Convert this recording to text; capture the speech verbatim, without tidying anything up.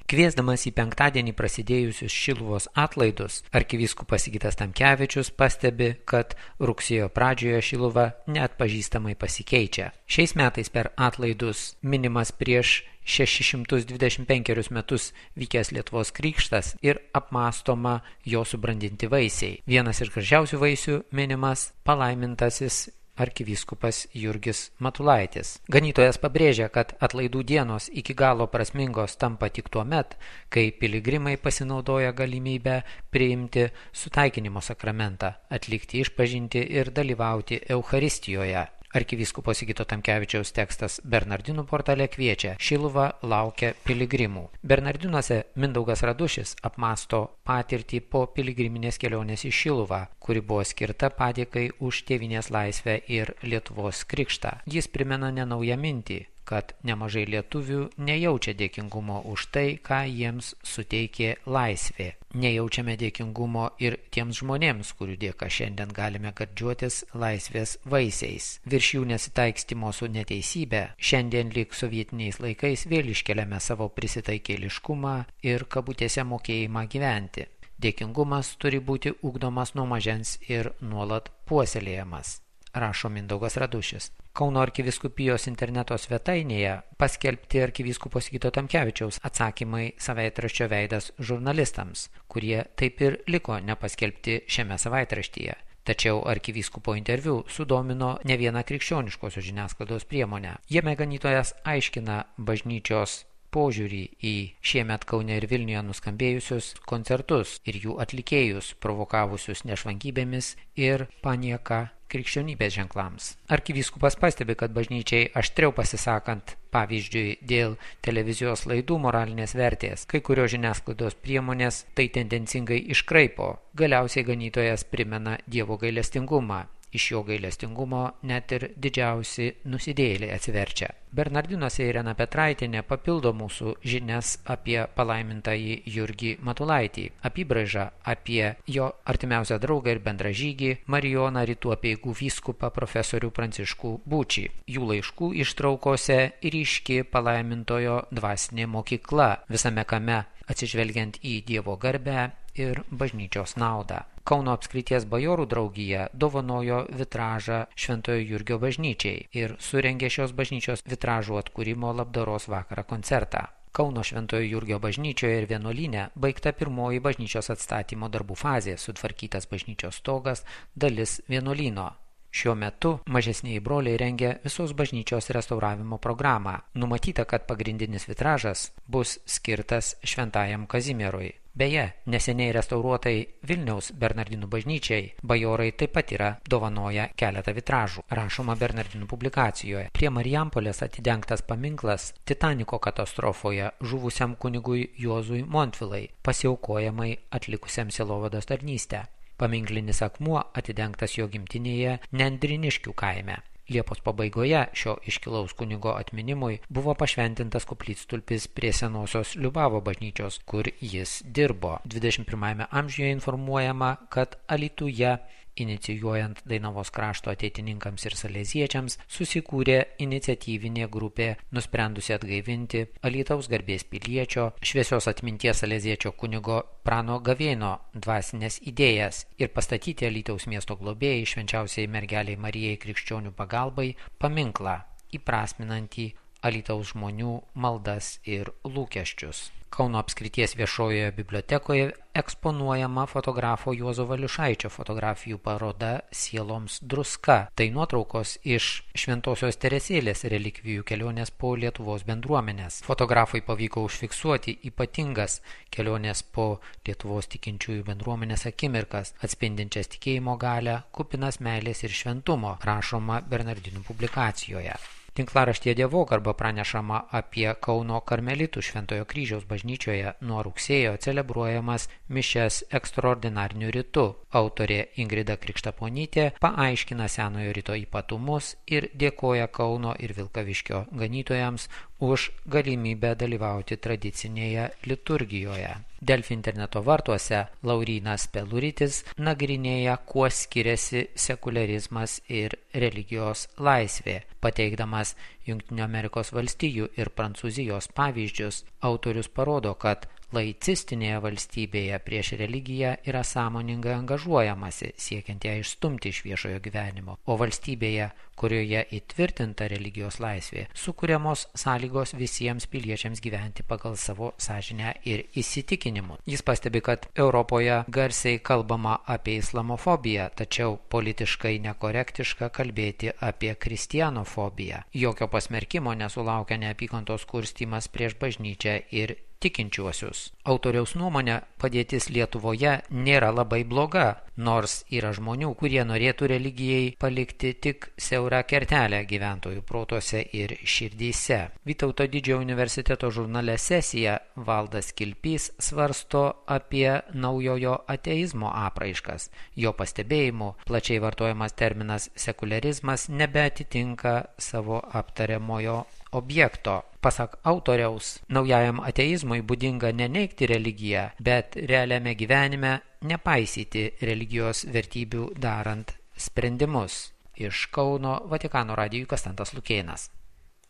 Kviesdamas į penktadienį prasidėjusius Šiluvos atlaidus, arkivyskupas Sigitas Tamkevičius pastebi, kad rugsėjo pradžioje Šiluva neatpažįstamai pasikeičia. Šiais metais per atlaidus minimas prieš šešis šimtus dvidešimt penkerius metus vykęs Lietuvos krikštas ir apmąstoma jo subrandinti vaisiai. Vienas iš gražiausių vaisių minimas palaimintasis arkivyskupas Jurgis Matulaitis. Ganytojas pabrėžia, kad atlaidų dienos iki galo prasmingos tampa tik tuo met, kai piligrimai pasinaudoja galimybę priimti sutaikinimo sakramentą, atlikti išpažintį ir dalyvauti Eucharistijoje. Arkivyskupo Sigito Tamkevičiaus tekstas Bernardinų portale kviečia: Šiluva laukia piligrimų. Bernardinuose Mindaugas Radušis apmąsto patirtį po piligriminės kelionės į Šiluvą, kuri buvo skirta padėkai už tėvynės laisvę ir Lietuvos krikštą. Jis primena nenaują mintį, kad nemažai lietuvių nejaučia dėkingumo už tai, ką jiems suteikė laisvė. Nejaučiame dėkingumo ir tiems žmonėms, kurių dėka šiandien galime gardžiuotis laisvės vaisiais. Virš jų nesitaikstymo su neteisybė, šiandien lyg sovietiniais laikais vėl iškeliame savo prisitaikėliškumą ir kabutėse mokėjimą gyventi. Dėkingumas turi būti ugdomas nuo mažens ir nuolat puoselėjamas, rašo Mindaugas Radušis. Kauno arkivyskupijos interneto svetainėje paskelbti arkivyskupo Sigito Tamkevičiaus atsakymai savaitraščio Veidas žurnalistams, kurie taip ir liko nepaskelbti šiame savaitraštyje. Tačiau arkivyskupo interviu sudomino ne vieną krikščioniškosios žiniasklaidos priemonę. Jame ganytojas aiškina bažnyčios požiūrį į šiemet Kaune ir Vilniuje nuskambėjusius koncertus ir jų atlikėjus, provokavusius nešvankybėmis ir panieką krikščionybės ženklams. Arkivyskupas pastebi, kad bažnyčiai aštriau pasisakant, pavyzdžiui, dėl televizijos laidų moralinės vertės, kai kurios žiniasklaidos priemonės tai tendencingai iškraipo. Galiausiai ganytojas primena Dievo gailestingumą. Iš jo gailestingumo net ir didžiausi nusidėjėliai atsiverčia. Bernardinuose Irena Petraitienė papildo mūsų žinias apie palaimintąjį Jurgį Matulaitį, apybraižą apie jo artimiausią draugą ir bendražygį Marijoną Rytų apeigų vyskupą profesorių Pranciškų Būčį. Jų laiškų ištraukose ryški palaimintojo dvasinė mokykla, visame kame atsižvelgiant į Dievo garbę ir bažnyčios naudą. Kauno apskrities bajorų draugija dovanojo vitražą Šventojo Jurgio bažnyčiai ir surengė šios bažnyčios vitražų atkūrimo labdaros vakarą koncertą. Kauno Šventojo Jurgio bažnyčioje ir vienuolyne baigta pirmoji bažnyčios atstatymo darbų fazė, sutvarkytas bažnyčios stogas, dalis vienuolyno. Šiuo metu mažesnieji broliai rengia visos bažnyčios restauravimo programą. Numatyta, kad pagrindinis vitražas bus skirtas Šventajam Kazimierui. Beje, neseniai restauruotai Vilniaus Bernardinų bažnyčiai bajorai taip pat yra dovanoję keletą vitražų, rašoma Bernardinų publikacijoje. Prie Marijampolės atidengtas paminklas Titaniko katastrofoje žuvusiam kunigui Juozui Montvilai, pasiaukojamai atlikusiam sielovados tarnystę. Paminklinis akmuo atidengtas jo gimtinėje Nendriniškių kaime. Liepos pabaigoje šio iškilaus kunigo atminimui buvo pašventintas koplytstulpis prie senosios Liubavo bažnyčios, kur jis dirbo. dvidešimt pirmajame amžiuje informuojama, kad Alytuje, inicijuojant Dainavos krašto ateitininkams ir saleziečiams, susikūrė iniciatyvinė grupė nusprendusi atgaivinti Alytaus garbės piliečio, šviesios atminties saleziečio kunigo Prano Gavėno dvasinės idėjas ir pastatyti Alytaus miesto globėjai švenčiausiai mergeliai Marijai krikščionių pagalbai paminklą, įprasminantį Alytaus žmonių maldas ir lūkesčius. Kauno apskrities viešojoje bibliotekoje eksponuojama fotografo Juozo Valiušaičio fotografijų paroda Sieloms druska. Tai nuotraukos iš Šventosios Teresėlės relikvijų kelionės po Lietuvos bendruomenės. Fotografui pavyko užfiksuoti ypatingas kelionės po Lietuvos tikinčiųjų bendruomenės akimirkas, atspindinčias tikėjimo galią, kupinas meilės ir šventumo, rašoma Bernardinų publikacijoje. Tinklaraštyje Dievogarba pranešama apie Kauno karmelitų Šventojo kryžiaus bažnyčioje nuo rugsėjo celebruojamas mišias ekstraordinariniu ritu. Autorė Ingrida Krikštaponytė paaiškina senojo rito ypatumus ir dėkoja Kauno ir Vilkaviškio ganytojams, už galimybę dalyvauti tradicinėje liturgijoje. Delfi interneto vartuose Laurynas Peluritis nagrinėja, kuo skiriasi sekularizmas ir religijos laisvė. Pateikdamas Jungtinių Amerikos valstijų ir Prancūzijos pavyzdžius, autorius parodo, kad laicistinėje valstybėje prieš religiją yra sąmoningai angažuojamasi, siekiant ją išstumti iš viešojo gyvenimo, o valstybėje, kurioje įtvirtinta religijos laisvė, sukuriamos sąlygos visiems piliečiams gyventi pagal savo sąžinę ir įsitikinimus. Jis pastebi, kad Europoje garsiai kalbama apie islamofobiją, tačiau politiškai nekorektiška kalbėti apie kristianofobiją. Jokio pasmerkimo nesulaukia neapykantos kurstymas prieš bažnyčią ir tikinčiuosius. Autoriaus nuomonė, padėtis Lietuvoje nėra labai bloga, nors yra žmonių, kurie norėtų religijai palikti tik siaurą kertelę gyventojų protuose ir širdyse. Vytauto Didžiojo universiteto žurnale Sesija Valdas Kilpys svarsto apie naujojo ateizmo apraiškas. Jo pastebėjimu, plačiai vartojamas terminas sekularizmas nebeatitinka savo aptariamojo objekto. Pasak autoriaus, naujajam ateizmui būdinga neneigti religiją, bet realiame gyvenime nepaisyti religijos vertybių darant sprendimus. Iš Kauno Vatikano radijui Konstantas Lukėnas.